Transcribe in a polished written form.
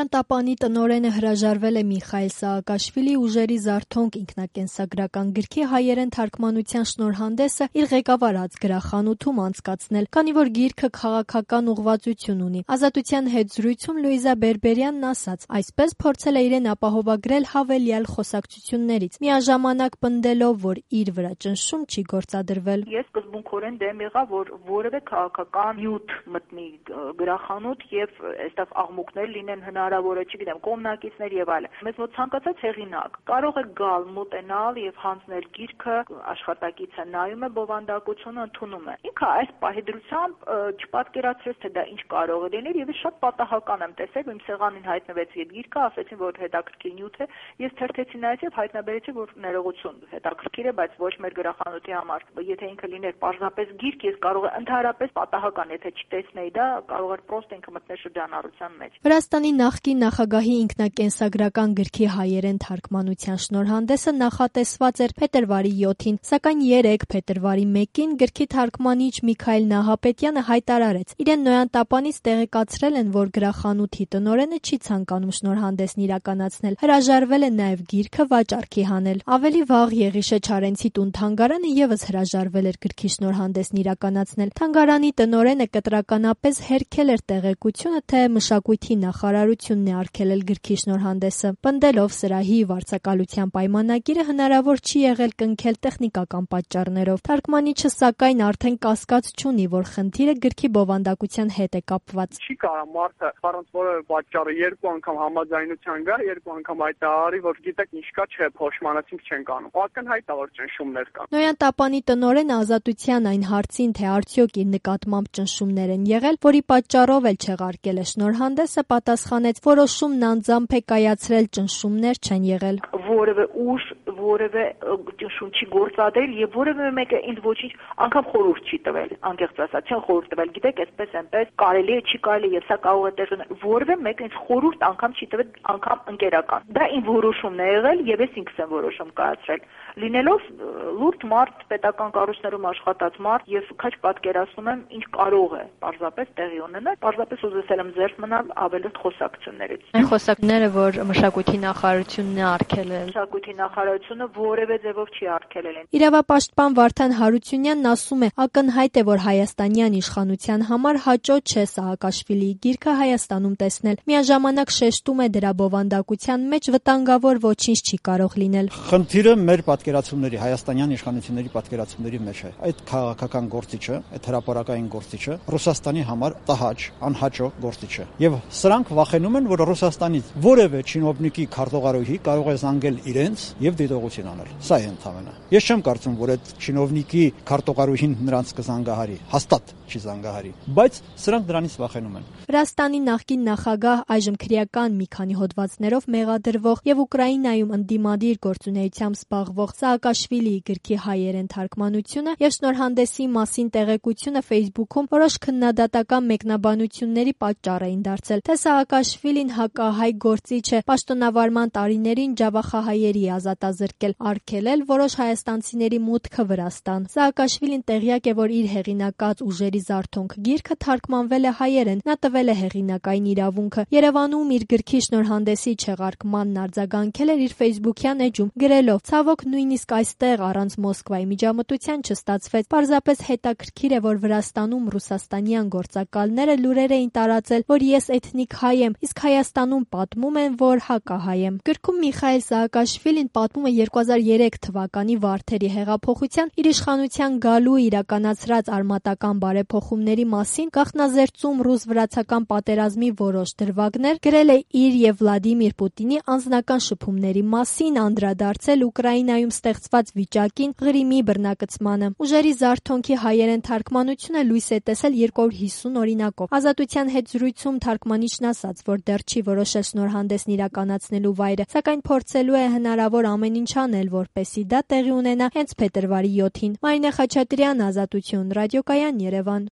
Նոյան Տապանի տնօրենը հրաժարվել է Միխայիլ Սաակաշվիլի «Ուժերի զարթոնք» ինքնակենսագրական գրքի հայերեն թարգմանության շնորհանդեսը իր ղեկավարած գրախանութում անցկացնել, քանի որ գիրքը քաղաքական ուղղվածություն ունի։ Ազատության հետ զրույցում Լուիզա Բերբերյանն ասաց, այսպես փորձել է իրեն ապահովագրել հավելյալ խոսակցություններից, միաժամանակ պնդելով, որ իր վրա ճնշում չի գործադրվել։ Ես սկզբունքորեն դեմ եղա, որ որևէ քաղաքական նյութ մտնի գրախանութ եւ այստեղ աղմուկներ լինեն հնարավորը, չգիտեմ, կողմնակիցներ եւ այլն։ Մեզ մոտ ցանկացած հեղինակ կարող է գալ, մոտենալ եւ հանձնել գիրքը, աշխատակիցը նայում է, բովանդակությունը ընդունում է։ Ինքը այս պահեդրությամբ չպատկերացրեց, թե դա ինչ կարող է լինել եւ ես շատ պատահական եմ տեսել, որ իմ սեղանին հայտնվեց այդ գիրքը, ասեցին, որ հետաքրքիր նյութ է, ես թերթեցի նայեցի եւ հայտնաբերեցի, որ ներողություն, հետաքրքիր է, բայց ոչ մեր գրախանութի համար։ Եթե ինքը լիներ պարզապես գիրք, ես կարող եմ ընդհանրապես պատահական, եթե չտեսնեի դա, կարող էր պրոստը ինքը մտնել շրջանառության մեջ։ Վրաստանի նախկին նախագահի ինքնակենսագրական գրքի հայերեն թարգմանության շնորհանդեսը նախատեսված էր փետրվարի 7-ին, սակայն 3 փետրվարի 1-ին գրքի թարգմանիչ Միքայել Նահապետյանը հայտարարեց, իրեն Նոյան Տապանից տեղեկացրել են, որ գրախանութի տնօրենը չի ցանկանում շնորհանդեսն իրականացնել, հրաժարվել է նաև գիրքը վաճառքի հանել։ Ավելի վաղ Եղիշե Չարենցի տուն-թանգարանը եւս հրաժարվել էր գրքի շնորհանդեսն իրականացնել։ Թանգարանի տնօրենը կտրականապես հերքել էր տեղեկությունը, թե մշակույթի նախարարությունն է արգելել գրքի շնորհանդեսը, պնդելով սրահի վարձակալության պայմանագիրը հնարավոր չի եղել կնքել տեխնիկական պատճառներով։ Թարգմանիչը սակայն արդեն կասկած չունի, որ խնդիրը գրքի բովանդակության հետ է կապված։ Չի կարա մարդը առանց որևէ պատճառի երկու անգամ համաձայնության գա, երկու անգամ հայտարարի, որ գիտեք ինչ կա, չէ, փոշմանացինք չենք անում։ Ակնհայտ է, որ ճնշումներ կան։ Նոյան Տապանի տնօրենը Ազատության այն հարցին, թե արդյոք իր նկատմամբ ճնշումներ են եղել, որի պատճառով էլ չեղարկել է շնորհանդեսը, պատասխանեց, որոշումն անձամբ է կայացրել, ճնշումներ չեն եղել։ Որևէ ուժ, որևէ ճնշում չի գործադրել եւ որևէ մեկը ինձ ոչինչ անգամ խորհուրդ չի տվել, անկեղծ ասած, չեն խորհուրդ տվել, գիտեք, այսպես այնպես կարելի է, չի կարելի, եւ սա կարող է տեղ ունենալ։ Որևէ մեկը ինձ խորհուրդ անգամ չի տվել, անգամ ընկերական։ Դա իմ որոշումն է եղել եւ ես ինքս եմ որոշում կայացրել։ Լինելով լուրջ մարդ, պետական կառույցներում աշխատած մարդ եւ քաչ պատկերացնում եմ ինչ կարող է պարզապես տեղի ունենալ, պարզապես ուզեցել եմ զերծ մնալ ավելորդ խոսակցություններից։ Այն խոսակցությունները, որ մշակույթի նախարարությունն է արգելել։ Մշակույթի նախարարությունը որևէ ձևով չի արգելել։ Իրավապաշտպան Վարդան Հարությունյանն ասում է, ակնհայտ է, որ հայաստանյան իշխանության համար հաճո չէ Սաակաշվիլիի գիրքը Հայաստանում տեսնել։ Միաժամանակ շեշտում է դրա բովանդակության մեջ վտանգավոր ոչինչ չի կարող լինել։ Խնդիրը մեր պատկերացումների, հայաստանյան իշխանությունների պատկերացումների մեջ է։ Այդ քաղաքական գործիչը, այդ հրապարակային գործիչը Ռուսաստանի համար տհաճ, անհաճո գործիչ է։ Եվ սրանք վախենում են, որ Ռուսաստանից որևէ չինովնիկի քարտուղարուհի կարող է զանգել իրենց եւ դիտողություն անել։ Սա է ընդհանրապես։ Ես չեմ կարծում, որ այդ չինովնիկի քարտուղարուհին նրանց կզանգահարի, հաստատ չի զանգահարի, բայց սրանք դրանից վախենում են։ Վրաստանի նախկին նախագահ, այժմ քրեական մի քանի հոդվածներով մեղադրվող եւ Ուկրաինայում ընդդիմադիր գործունեությամբ զբաղվող Սաակաշվիլիի գրքի հայերեն թարգմանությունը եւ շնորհանդեսի մասին տեղեկությունը Facebook-ում որոշ քննադատական մեկնաբանությունների պատճառ էին դարձել, թե Սաակաշվիլին հակահայ գործիչ է, պաշտոնավարման տարիներին ջավախահայերի ազատազրկել, արգելել որոշ հայաստանցիների մուտքը Վրաստան։ Սաակաշվիլին տեղյակ է, որ իր հեղինակած «Ուժերի զարթոնք» գիրքը թարգմանվել է հայերեն, նա տվել է հեղինակային իրավունքը։ Երևանում իր գրքի շնորհանդեսի չեղարկմանն արձագանքել էր իր Facebook-յան էջում, գրելով. «Ցավոք, նույնիսկ այստեղ առանց Մոսկվայի միջամտության չստացվեց։ Պարզապես հետաքրքիր է, որ Վրաստանում ռուսաստանյան գործակալները լուրեր էին տարածել, որ ես էթնիկ հայ եմ, իսկ Հայաստանում պատմում են, որ հակահայ եմ»։ Գրքում Միխայիլ Սաակաշվիլին պատմում է 2003 թվականի Վարդերի հեղափոխության իր իշխանության գալու իրականացրած արմատական բարեփոխումների մասին, գաղտնազերծում ռուս-վրացական պատերազմի որոշ դրվագներ, գրել է իր եւ Վլադիմիր Պուտինի անձնական շփումների մասին, անդրադարձել Ուկրաինայում ստեղծված վիճակին, Ղրիմի բռնակցմանը։ «Ուժերի զարթոնքի» հայերեն թարգմանությունը լույս է տեսել 250 օրինակով։ Ազատության հետ զրույցում թարգմանիչն ասաց, որ դեռ չի որոշել շնորհանդեսն իրականացնելու վայրը, սակայն փորձելու է հնարավոր ամեն ինչ անել, որպեսզի դա տեղի ունենա հենց փետրվարի 7-ին։ Մարինե Խաչատրյան, Ազատություն, ռադիոկայան, Երևան։